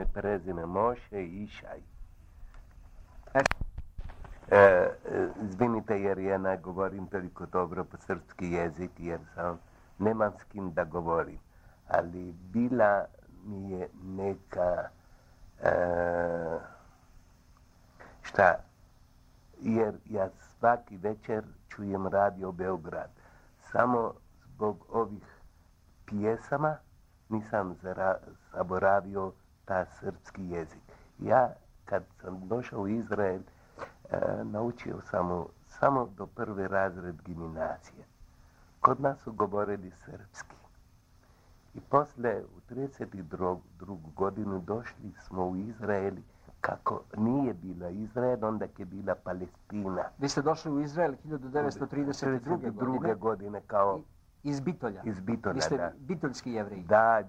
prezime Moše i Išaj. Izvinite jer ja ne govorim toliko dobro po srpski jezik jer nemam s kim da govorim. Ali bila mi je neka jer ja svaki večer čujem Radio Beograd. Samo zbog ovih pjesama nisam zaboravio ta srpski jezik. Ja kad sam došao u Izrael naučio sam samo do prvi razred gimnazije. Kod nas su govorili srpski. I posle u 32. godinu došli smo u Izrael. Kako nije bila Izrael, onda je bila Palestina. Vi ste došli u Izrael 1932. godine kao... Iz Bitolja. Iz Bitolja, vi ste da. Bitoljski jevreji. Da,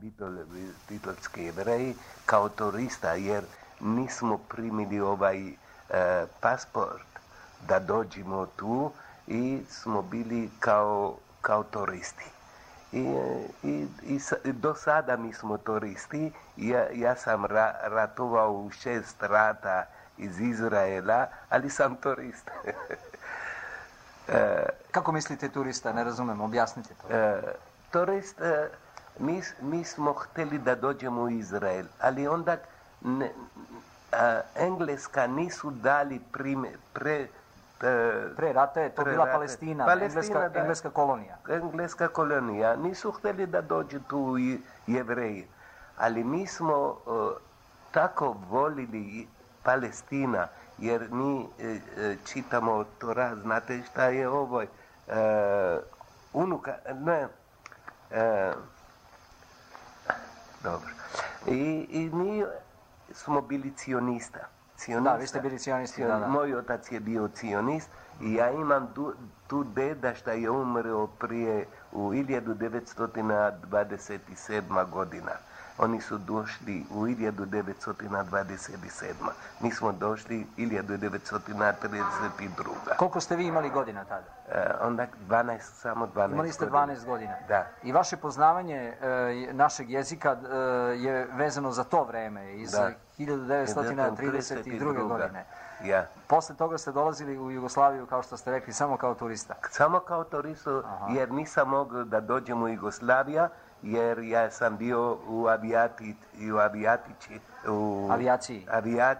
bitoljski jevreji kao turista, jer nismo primili ovaj pasport da dođemo tu i smo bili kao turisti. I do sada mi smo turisti. Ja sam ratovao u 6 rata iz Izraela, ali sam turist. Kako mislite turista? Ne razumem, objasnite to. Turist, mi smo htjeli da dođemo u Izrael, ali onda Engleska nisu dali pre rata je to bila Palestina, engleska kolonija. Engleska kolonija. Nisu htjeli da dođu tu jevreji. Ali mi smo tako volili Palestina, jer mi čitamo Tora, znate šta je ovo? Dobro. I mi smo bili cionista. Da, vi ste bili cionisti, da. Moj otac je bio cionist i ja imam tu deda što je umro prije u 1927. godina. Oni su došli u 1927. Mi smo došli 1932. Koliko ste vi imali godina tada? Onda 12 Imali ste 12 godina. Da. I vaše poznavanje našeg jezika je vezano za to vreme, iz 1932. godine. Ja. Posle toga ste dolazili u Jugoslaviju, kao što ste rekli, samo kao turista. Samo kao turista, jer nisam mogao da dođem u Jugoslaviju, jer ja sam bio u avijaciji.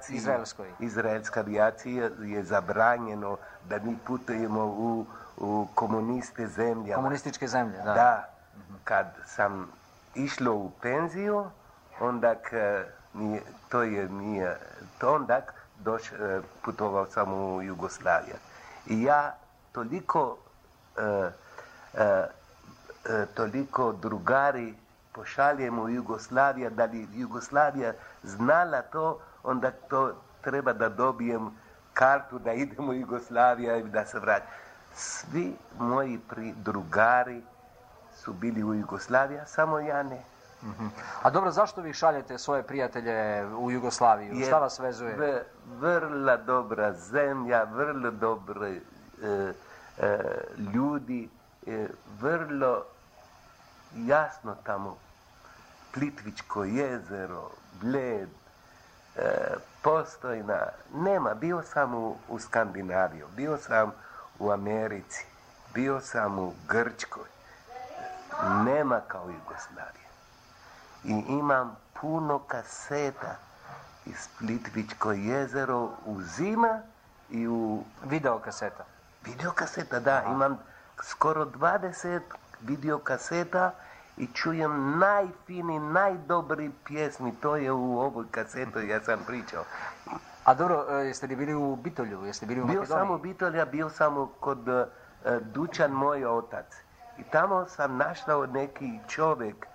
Izraelskoj. Izraelska avijacija je zabranjeno da mi putujemo u komuniste zemlje. Komunističke zemlje, da. Da. Kad sam išlo u penziju, onda putovao sam u Jugoslaviju. I ja toliko drugari pošaljem u Jugoslaviju, da li Jugoslavija znala to, onda to treba da dobijem kartu da idem u Jugoslaviju i da se vraćam. Svi moji drugari su bili u Jugoslaviji, samo ja ne. A dobro, zašto vi šaljete svoje prijatelje u Jugoslaviju? Šta vas vezuje? Vrlo dobra zemlja, vrlo dobri ljudi, vrlo jasno tamo. Plitvičko jezero, Bled, Postojna. Nema, bio sam u Skandinaviji, bio sam u Americi, bio sam u Grčkoj. Nema kao Jugoslavija. I imam puno kaseta iz Plitvičko jezero u zima i u... Videokaseta. Videokaseta, da. Imam skoro 20 videokaseta i čujem najdobri pjesmi. To je u ovoj kasetu, ja sam pričao. A dobro, jeste li bili u Bitolju? Jeste bili u Makedoniji? Bio sam u Bitolja, bio sam kod Dučan, moj otac. I tamo sam našao neki čovjek,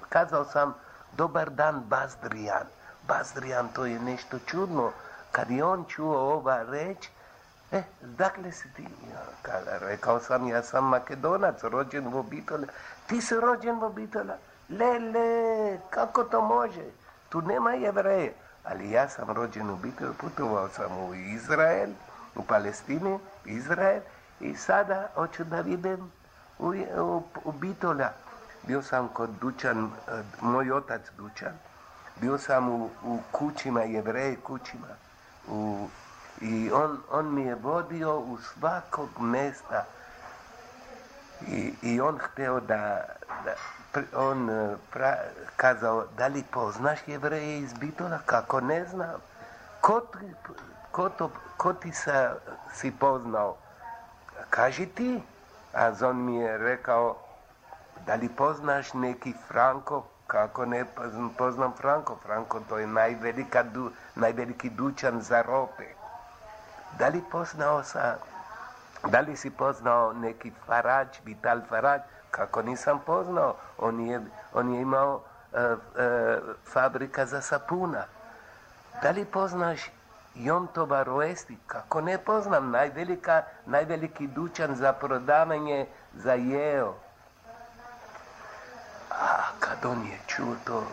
kazao sam, dobar dan Bazdrijan. Bazdrijan, to je nešto čudno. Kad je on čuo ova reč, dakle si ti? Rekao sam, ja sam Makedonac, rođen u Bitolja. Ti si rođen u Bitolja? Le, kako to može? Tu nema Jevreje. Ali ja sam rođen u Bitolju, putovao sam u Izrael, u Palestini, Izrael, i sada hoću da vidim u Bitolja. bio sam kod Dućan, moj otac Dućan, bio sam u kućima, Jevreji kućima, i on mi je vodio u svakog mjesta i on htio kazao, da li poznaš Jevreje iz Bitola? Kako ne znam. Ko ti si poznao? Kaži ti. A on mi je rekao, da li poznaš neki Franko? Kako ne poznam Franko? Franko, to je najveliki dućan za rope. Da li si poznao neki Farađ, Vital Farađ? Kako nisam poznao? On je imao fabrika za sapuna. Da li poznaš Jom Tova Roesti? Kako ne poznam? Najveliki dućan za prodavanje za jeo. A kad on je čuo to,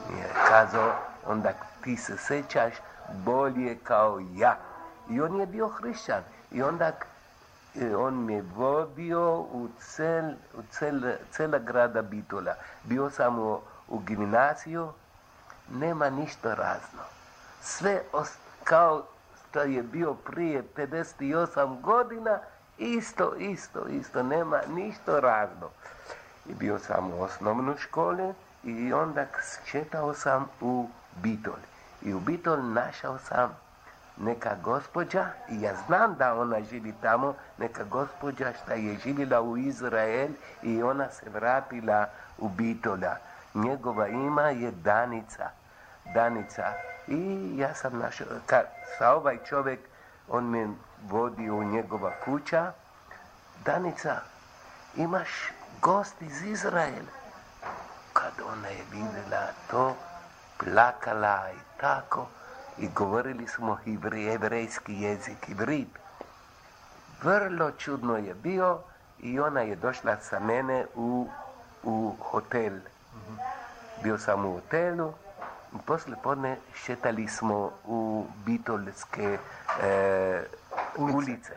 mi je kazao, onda ti se sećaš bolje kao ja. I on je bio hrišćan. I onda on me vodio u cela grada Bitola. Bio sam u gimnaziju, nema ništa razno. Sve kao što je bio prije 58 godina, isto, nema ništa razno. I bio sam u osnovnoj školi i onda šetao sam u Bitol. I u Bitol našao sam neka gospođa, i ja znam da ona živi tamo, neka gospođa što je živjela u Izrael i ona se vratila u Bitola. Njegova ima je Danica. I ja sam našao, sa ovaj čovjek, on me vodio u njegova kuća. Danica, imaš gost iz Izraela? Kad ona je vidjela to, plakala i tako, i govorili smo hebrejski jezik, ivrit. Vrlo čudno je bio i ona je došla sa mene u hotel. Bio sam u hotelu i poslije podne šetali smo u Bitolske ulice.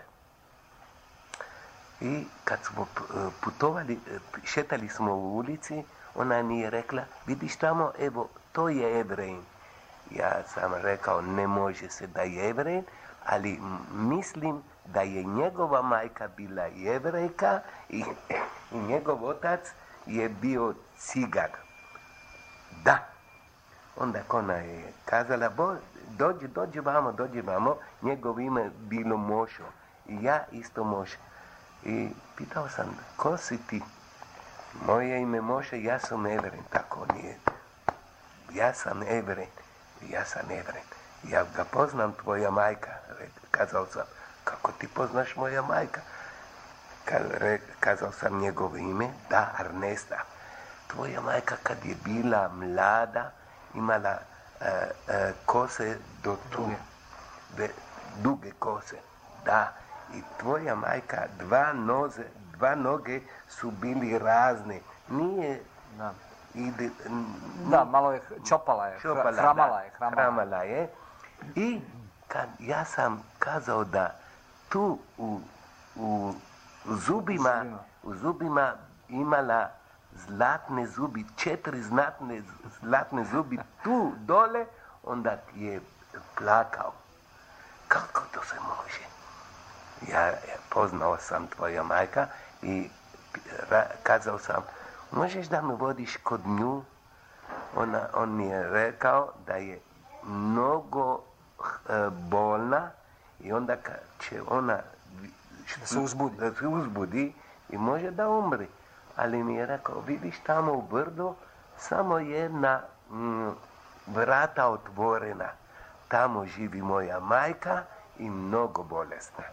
I kad smo putovali, šetali smo u ulici, ona mi je rekla, vidiš tamo, evo, to je Jevrejin. Ja sam rekao, ne može se da je Jevrejin, ali mislim da je njegova majka bila Jevrejka i njegov otac je bio cigar. Da. Onda ona je kazala, dođi vamo, njegov ime bilo Mošo. I ja isto Mošo. I pitao sam, ko si ti? Moje ime Moše, ja sam Evren. Tako nije. Ja sam Evren. Ja ga poznam, tvoja majka. Kazao sam, kako ti poznaš moja majka? Kazao sam njegovo ime, da, Ernesta. Tvoja majka kad je bila mlada, imala kose do tu. Duge kose, da. I tvoja majka, dva noge su bili razne. Nije... Da, malo je čopala je, hramala je. I kad ja sam kazao da tu u zubima imala zlatne zubi, 4 zlatne zubi tu dole, onda je plakao. Kako to se može? Ja poznao sam tvoja majka i kazao sam, možeš da me vodiš kod nju? On mi je rekao da je mnogo bolna i onda će ona se uzbudi i može da umri. Ali mi je rekao, vidiš tamo u brdu, samo jedna vrata otvorena. Tamo živi moja majka i mnogo bolesna.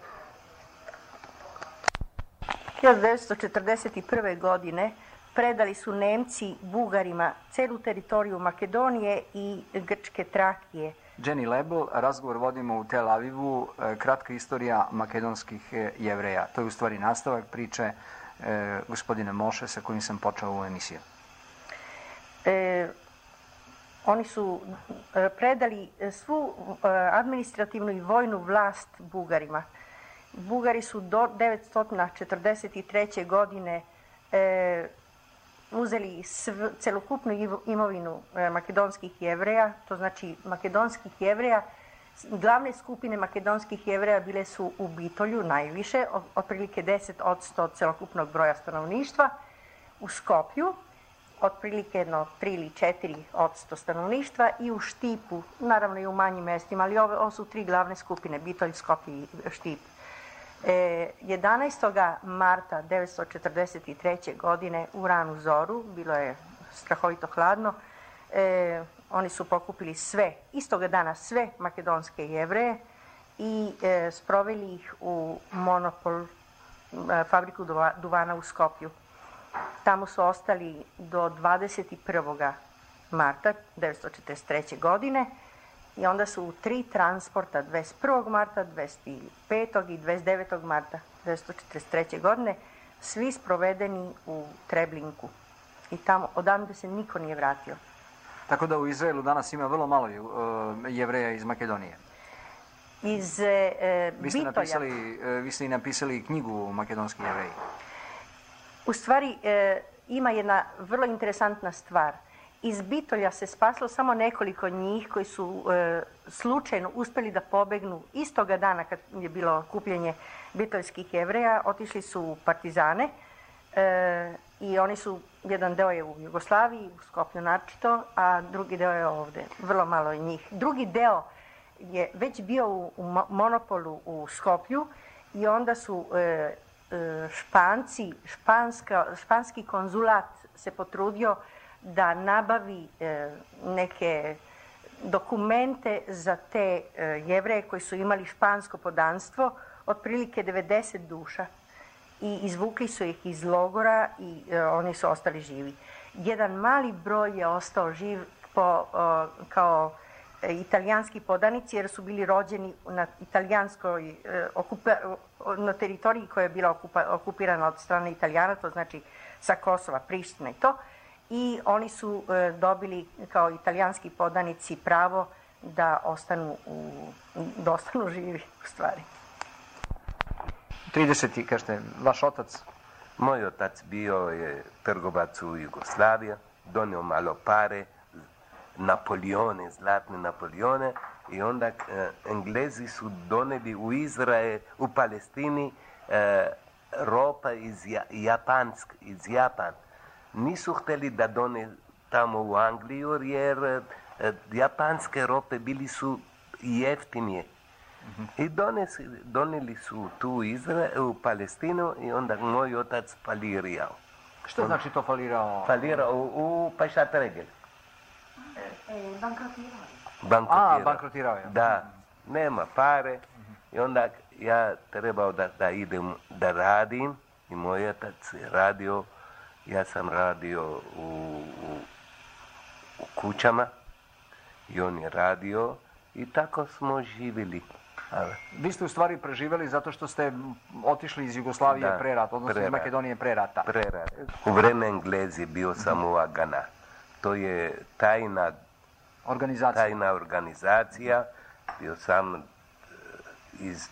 1941. godine predali su Nemci Bugarima celu teritoriju Makedonije i Grčke Trakije. Jenny Lebel, razgovor vodimo u Tel Avivu, kratka istorija makedonskih Jevreja. To je u stvari nastavak priče gospodine Moše sa kojim sam počeo ovu emisiju. Oni su predali svu administrativnu i vojnu vlast Bugarima. Bugari su do 943. godine uzeli celokupnu imovinu makedonskih Jevreja, to znači makedonskih Jevreja. Glavne skupine makedonskih Jevreja bile su u Bitolju najviše, otprilike 10% od celokupnog broja stanovništva, u Skoplju, otprilike 3 ili 4% stanovništva i u Štipu, naravno i u manjim mestima, ali ovo su 3 glavne skupine, Bitolj, Skoplje i Štip. 11. marta 1943. godine u ranu zoru, bilo je strahovito hladno, oni su pokupili istoga dana sve makedonske Jevreje i sproveli ih u monopol, fabriku duvana u Skoplju. Tamo su ostali do 21. marta 1943. godine i onda su u 3 transporta 21. marta, 25. i 29. marta 1943. godine svi sprovedeni u Treblinku. I tamo, odavde se niko nije vratio. Tako da u Izraelu danas ima vrlo malo Jevreja iz Makedonije. Iz Bitolja. Vi ste i napisali knjigu Makedonski Jevreji. U stvari, ima jedna vrlo interesantna stvar. Iz Bitolja se spaslo samo nekoliko njih koji su slučajno uspeli da pobegnu istoga dana kad je bilo kupljenje bitoljskih Jevreja. Otišli su u partizane i oni su, jedan deo je u Jugoslaviji, u Skoplju naročito, a drugi deo je ovde. Vrlo malo je njih. Drugi deo je već bio u monopolu u Skoplju i onda su španski konzulat se potrudio da nabavi neke dokumente za te Jevreje koji su imali špansko podanstvo, otprilike 90 duša. I izvukli su ih iz logora i oni su ostali živi. Jedan mali broj je ostao živ kao italijanski podanici jer su bili rođeni na italijanskoj na teritoriji koja je bila okupirana od strane Italijana, to znači sa Kosova, Priština i to. I oni su dobili kao italijanski podanici pravo da ostanu živi u stvari. 30. kažete, vaš otac? Moj otac bio je trgovac u Jugoslaviji, donio malo pare, Napoleone, zlatne Napoleone, i onda Englezi su doneli u Izrael, u Palestini, ropa iz Japan. Nisu htjeli da done tamo u Angliju jer japanske rope bili su jeftinije. I doneli su tu u Palestinu i onda moj otac falirao. Što znači to falirao? Falirao u Pašat Regel. Bankrotirao je. Da, nema pare i onda ja trebao da idem da radim i moj otac je radio, ja sam radio u kućama i on je radio i tako smo živjeli. Vi ste u stvari preživjeli zato što ste otišli iz Jugoslavije pre rata, odnosno iz Makedonije pre rata. U vreme Englezi bio sam u Agana. To je tajna organizacija. Bio sam iz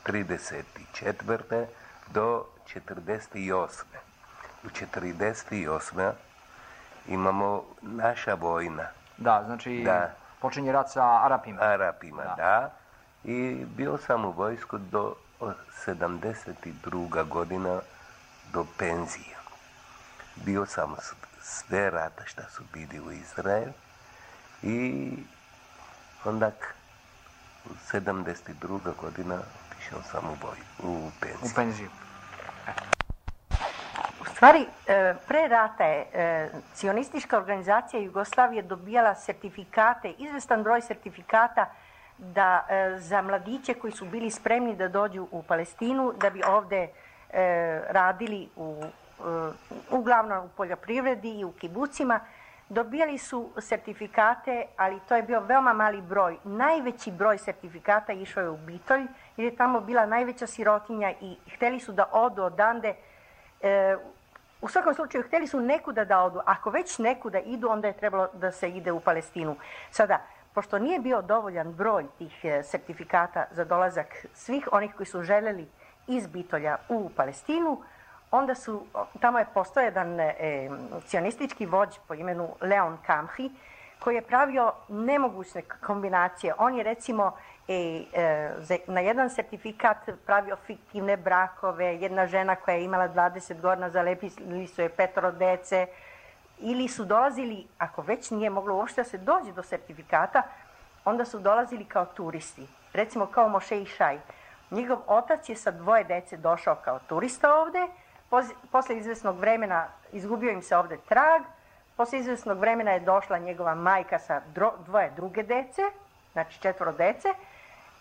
34. do 48. U 48. imamo naša vojna. Da, znači počinje rat sa Arapima. Da. I bio sam u vojsku do 72. godina do penzije. Bio sam sve rata što su bili u Izrael i onda u 72. godina išao sam u penziju. U stvari, pre rata je cionistička organizacija Jugoslavije dobijala sertifikate, izvestan broj sertifikata da za mladiće koji su bili spremni da dođu u Palestinu, da bi ovde radili uglavnom u poljoprivredi i u kibucima, dobijali su sertifikate, ali to je bio veoma mali broj. Najveći broj sertifikata išao je u Bitolj, jer je tamo bila najveća sirotinja i hteli su da odu odande. U svakom slučaju, hteli su nekuda da odu. Ako već nekuda idu, onda je trebalo da se ide u Palestinu. Sada, pošto nije bio dovoljan broj tih sertifikata za dolazak svih onih koji su želeli iz Bitolja u Palestinu, onda tamo je postao jedan cionistički vođ po imenu Leon Kamhi, koji je pravio nemogućne kombinacije. On je recimo na jedan sertifikat pravio fiktivne brakove, jedna žena koja je imala 20 godina, zalepili su je 5 dece, ili su dolazili, ako već nije moglo uopšte da se dođe do sertifikata, onda su dolazili kao turisti. Recimo kao Moše Išaj. Njegov otac je sa 2 dece došao kao turista ovde, posle izvesnog vremena izgubio im se ovde trag, posle izvesnog vremena je došla njegova majka sa 2 druge dece, znači 4 dece,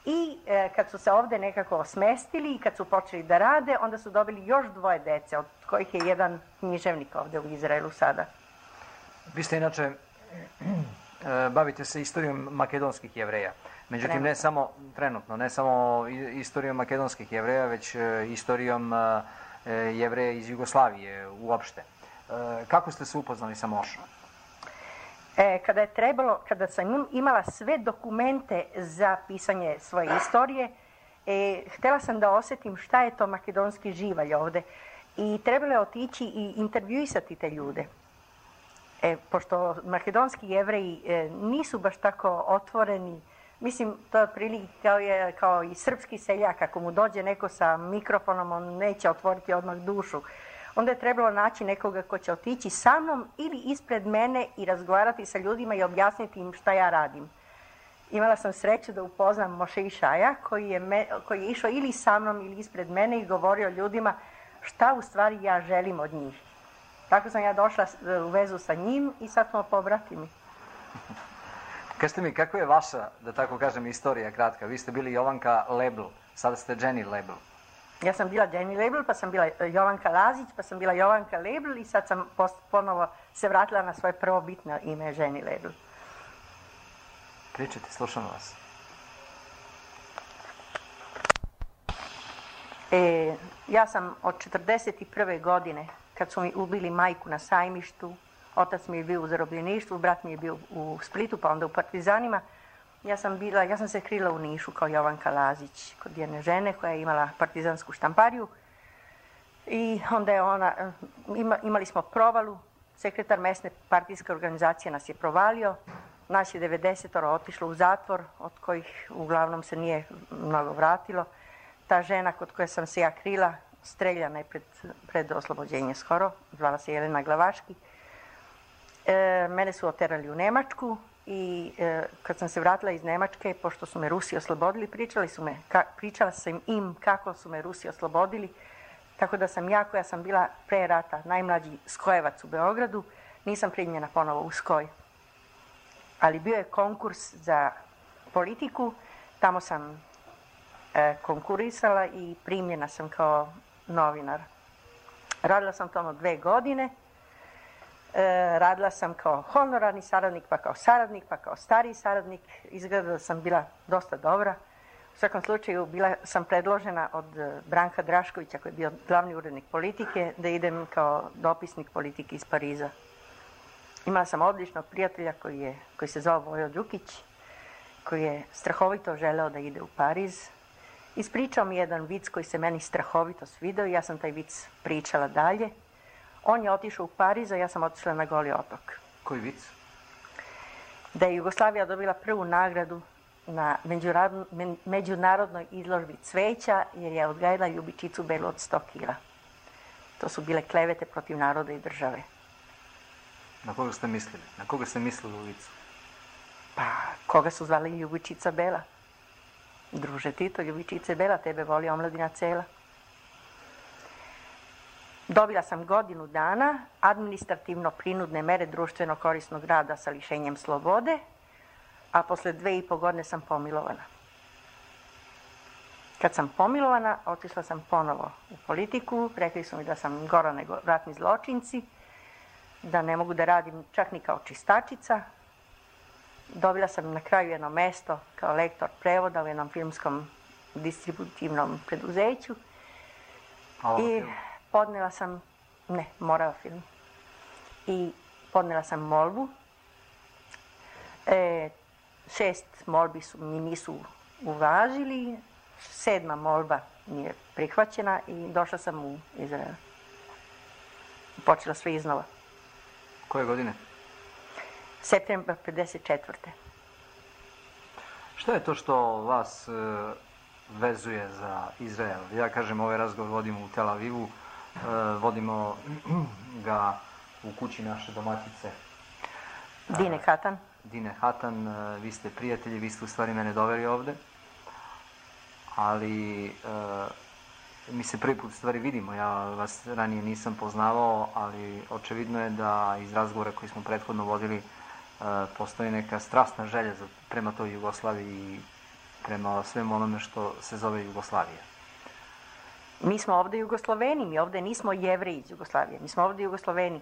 i kad su se ovde nekako smestili i kad su počeli da rade, onda su dobili još 2 dece, od kojih je jedan književnik ovde u Izraelu sada. Vi ste inače, bavite se istorijom makedonskih Jevreja. Međutim, ne samo istorijom makedonskih Jevreja, već istorijom Jevreja iz Jugoslavije uopšte. Kako ste se upoznali sa Mošom? Kada sam imala sve dokumente za pisanje svoje istorije, htela sam da osetim šta je to makedonski živalj ovde. I trebalo je otići i intervjuisati te ljude. Pošto makedonski Jevreji nisu baš tako otvoreni, mislim, to je otprilike kao i srpski seljak, ako mu dođe neko sa mikrofonom, on neće otvoriti odmah dušu. Onda je trebalo naći nekoga ko će otići sa mnom ili ispred mene i razgovarati sa ljudima i objasniti im šta ja radim. Imala sam sreću da upoznam Moše Išaja, koji je išao ili sa mnom ili ispred mene i govorio ljudima šta u stvari ja želim od njih. Tako sam ja došla u vezu sa njim i sad smo pobratimi. Kažete mi, kako je vaša, da tako kažem, istorija kratka? Vi ste bili Jovanka Lebl, sada ste Jenny Lebl. Ja sam bila Jenny Lebl, pa sam bila Jovanka Lazić, pa sam bila Jovanka Lebl i sad sam ponovo se vratila na svoje prvobitno ime Jenny Lebl. Pričajte, slušam vas. Ja sam od 1941. godine, kad su mi ubili majku na Sajmištu, otac mi je bio u zarobljeništvu, brat mi je bio u Splitu, pa onda u Partizanima. Ja sam se krila u Nišu kao Jovanka Lazić kod jedne žene koja je imala partizansku štampariju. I onda je imali smo provalu, sekretar mesne partijske organizacije nas je provalio, nas je 90 otišlo u zatvor, od kojih uglavnom se nije mnogo vratilo. Ta žena kod koje sam se ja krila, streljana je pred oslobođenje skoro, zvala se Jelena Glavaški. Mene su oterali u Nemačku i kad sam se vratila iz Nemačke, pošto su me Rusi oslobodili, pričala sam im kako su me Rusi oslobodili, tako da sam ja, koja sam bila pre rata najmlađi skojevac u Beogradu, nisam primljena ponovo u Skoj. Ali bio je konkurs za politiku, tamo sam konkurisala i primljena sam kao novinar. Radila sam tamo 2 godine. Radila sam kao honorarni saradnik, pa kao saradnik, pa kao stariji saradnik. Izgleda da sam bila dosta dobra. U svakom slučaju bila sam predložena od Branka Draškovića, koji je bio glavni urednik Politike, da idem kao dopisnik Politike iz Pariza. Imala sam odličnog prijatelja koji se zvao Vojo Đukić, koji je strahovito želeo da ide u Pariz. Ispričao mi jedan vic koji se meni strahovito svidao i ja sam taj vic pričala dalje. On je otišao u Pariz, a ja sam otišla na Goli otok. Koji vic? Da je Jugoslavija dobila prvu nagradu na međunarodnoj izložbi cveća, jer je odgajila ljubičicu belu od 100 kila. To su bile klevete protiv naroda i države. Na koga ste mislili? Na koga ste mislili u vicu? Pa, koga su zvali Ljubičica Bela? Druže Tito, Ljubičice Bela, tebe voli omladina cela. Dobila sam godinu dana administrativno prinudne mere društveno korisnog rada sa lišenjem slobode, a posle 2,5 godine sam pomilovana. Kad sam pomilovana, otišla sam ponovo u politiku, rekli su mi da sam gora nego ratni zločinci, da ne mogu da radim čak ni kao čistačica. Dobila sam na kraju jedno mesto kao lektor prevoda u jednom filmskom distributivnom preduzeću. I podnela sam, Morava film, i podnela sam molbu. 6 molbi mi nisu uvažili, 7. molba nije prihvaćena i došla sam u Izrael. počela sve iznova. Koje godine? Septembar 54. Što je to što vas vezuje za Izrael? Ja kažem, ovaj razgovor vodimo u Tel Avivu, vodimo ga u kući naše domaćice. Dine Hatan. Dine Hatan, vi ste prijatelji, vi ste u stvari mene doveli ovde, ali mi se prvi put stvari vidimo, ja vas ranije nisam poznavao, ali očevidno je da iz razgovora koji smo prethodno vodili postoji neka strasna želja prema toj Jugoslaviji i prema svemu onome što se zove Jugoslavija. Mi smo ovde Jugosloveni, mi ovde nismo Jevreji iz Jugoslavije, mi smo ovde Jugosloveni.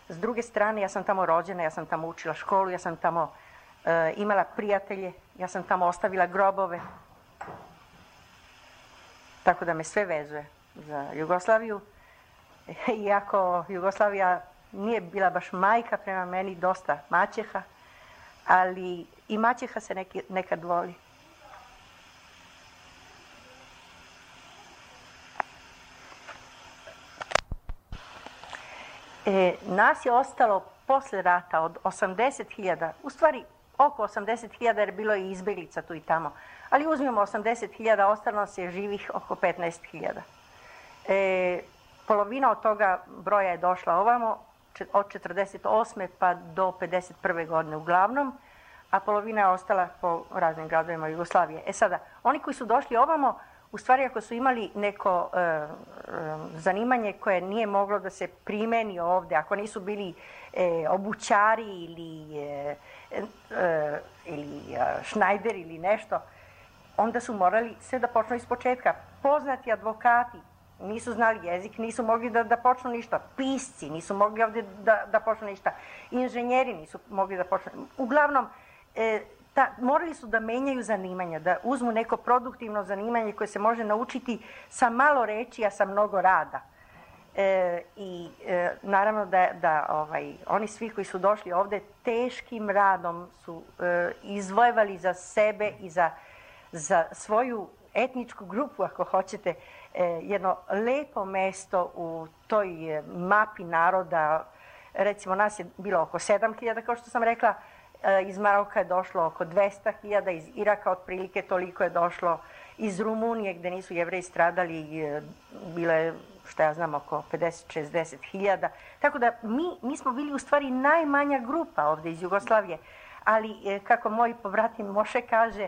S druge strane, ja sam tamo rođena, ja sam tamo učila školu, ja sam tamo imala prijatelje, ja sam tamo ostavila grobove. Tako da me sve vezuje za Jugoslaviju. Iako Jugoslavija nije bila baš majka prema meni, dosta maćeha, ali i maćeha se nekad voli. Nas je ostalo posle rata od 80.000, u stvari oko 80.000 jer je bilo i izbjeglica tu i tamo, ali uzmemo 80.000, ostalo nas je živih oko 15.000. Polovina od toga broja je došla ovamo, od 48. pa do 51. godine uglavnom, a polovina je ostala po raznim gradovima Jugoslavije. Sada, oni koji su došli ovamo, u stvari ako su imali neko zanimanje koje nije moglo da se primeni ovde, ako nisu bili obućari ili šnajderi ili nešto, onda su morali sve da počnu iz početka. Poznati advokati nisu znali jezik, nisu mogli da počnu ništa. Pisci nisu mogli ovde da počnu ništa. Inženjeri nisu mogli da počnu. Uglavnom, morali su da menjaju zanimanja, da uzmu neko produktivno zanimanje koje se može naučiti sa malo reči, a sa mnogo rada. Naravno da oni svi koji su došli ovde teškim radom su izvojevali za sebe i za svoju etničku grupu, ako hoćete, jedno lepo mesto u toj mapi naroda. Recimo, nas je bilo oko 7.000, kao što sam rekla, iz Maroka je došlo oko 200.000, iz Iraka otprilike toliko je došlo, iz Rumunije gde nisu Jevreji stradali bilo je, šta ja znam, oko 50-60.000. Tako da mi smo bili u stvari najmanja grupa ovde iz Jugoslavije, ali kako moj pobratim Moše kaže,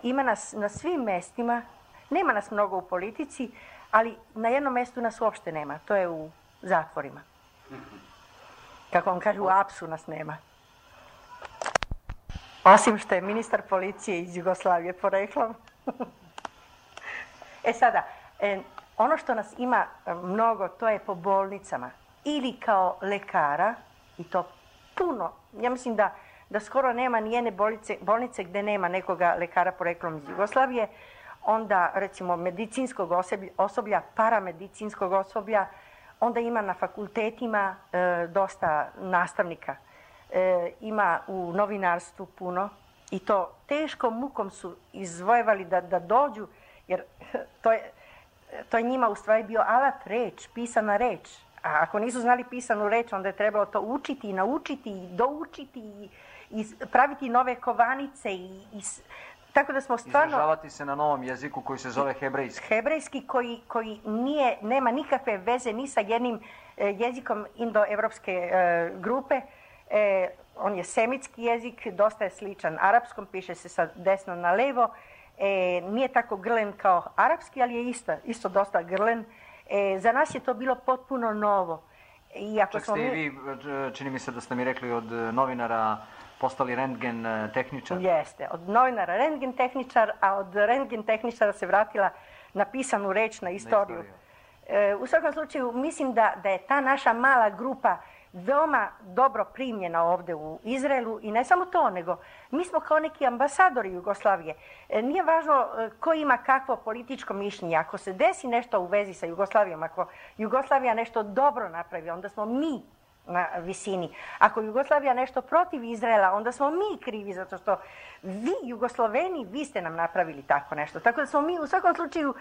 ima nas na svim mestima, nema nas mnogo u politici, ali na jednom mestu nas uopšte nema, to je u zatvorima. Kako on kaže, u apsu nas nema. Osim što je ministar policije iz Jugoslavije poreklom. Sada, ono što nas ima mnogo, to je po bolnicama. Ili kao lekara, i to puno. Ja mislim da skoro nema nijedne bolnice gde nema nekoga lekara poreklom iz Jugoslavije. Onda, recimo, medicinskog osoblja, paramedicinskog osoblja. Onda ima na fakultetima dosta nastavnika. Ima u novinarstvu puno i to teškom mukom su izvojevali da dođu, jer to je njima u stvari bio alat reč, pisana reč. A ako nisu znali pisanu reč, onda je trebalo to učiti i naučiti i doučiti i praviti nove kovanice tako da smo stvarno... Izražavati se na novom jeziku koji se zove hebrejski. Hebrejski koji nema nikakve veze ni sa jednim jezikom indoevropske grupe. On je semitski jezik, dosta je sličan arapskom, piše se sa desno na levo. Nije tako grlen kao arapski, ali je isto dosta grlen. Za nas je to bilo potpuno novo. Čak ste i vi, čini mi se da ste mi rekli, od novinara postali rentgen tehničar. Jeste, od novinara rentgen tehničar, a od rentgen tehničara se vratila na pisanu reč, na istoriju. U svakom slučaju, mislim da je ta naša mala grupa veoma dobro primljena ovde u Izraelu i ne samo to, nego mi smo kao neki ambasadori Jugoslavije. Nije važno ko ima kakvo političko mišljenje. Ako se desi nešto u vezi sa Jugoslavijom, ako Jugoslavija nešto dobro napravi, onda smo mi na visini. Ako Jugoslavija nešto protiv Izraela, onda smo mi krivi zato što vi, Jugosloveni, vi ste nam napravili tako nešto. Tako da smo mi u svakom slučaju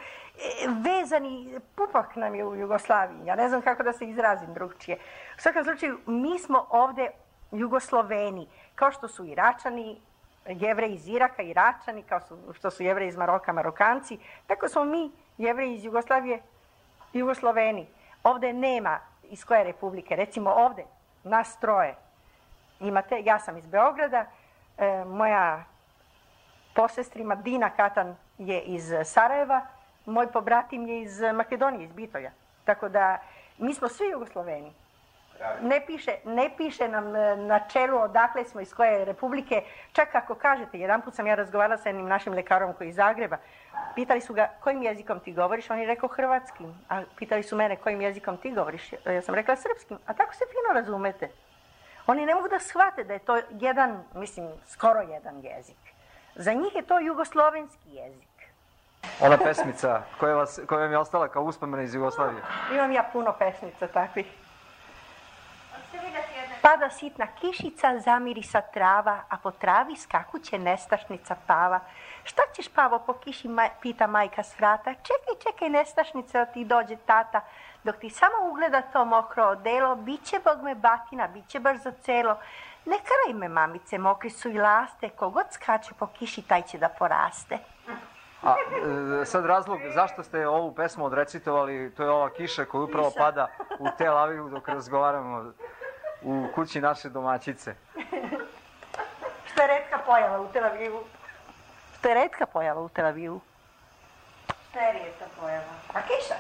vezani, pupak nam je u Jugoslaviji. Ja ne znam kako da se izrazim drugčije. U svakom slučaju, mi smo ovde Jugosloveni, kao što su Iračani, Jevreji iz Iraka, Iračani, kao što su Jevreji iz Maroka, Marokanci, tako smo mi, Jevreji iz Jugoslavije, Jugosloveni. Ovde nema iz koje republike, recimo ovde, nas troje. Imate, ja sam iz Beograda, moja posestrima Dina Katan je iz Sarajeva, moj pobratim je iz Makedonije, iz Bitolja. Tako da, mi smo svi Jugosloveni. Ne piše nam na čelu odakle smo, iz koje republike. Čak ako kažete, jedan put sam ja razgovarala sa jednim našim lekarom koji je iz Zagreba, pitali su ga kojim jezikom ti govoriš, on je rekao hrvatskim, a pitali su mene kojim jezikom ti govoriš, ja sam rekla srpskim, a tako se fino razumete. Oni ne mogu da shvate da je to jedan, mislim, skoro jedan jezik. Za njih je to jugoslovenski jezik. Ona pesmica koja vam je ostala kao uspomena iz Jugoslavije. Imam ja puno pesmica takvih. Pada sitna kišica, zamirisa trava, a po travi skakuće nestašnica pava. Šta ćeš, Pavo, po kiši, pita majka s vrata. Čekaj, nestašnica, da ti dođe tata. Dok ti samo ugleda to mokro odelo, biće Bog me batina, biće baš za celo. Ne karaj me, mamice, mokri su i laste, kogod skače po kiši, taj će da poraste. A sad razlog zašto ste ovu pesmu odrecitovali, to je ova kiša koja upravo pada u Tel Avivu dok razgovaramo u kući naše domaćice. Što je retka pojava u Tel Avivu? Što je retka pojava u Tel Avivu? Što je retka pojava? A kiša?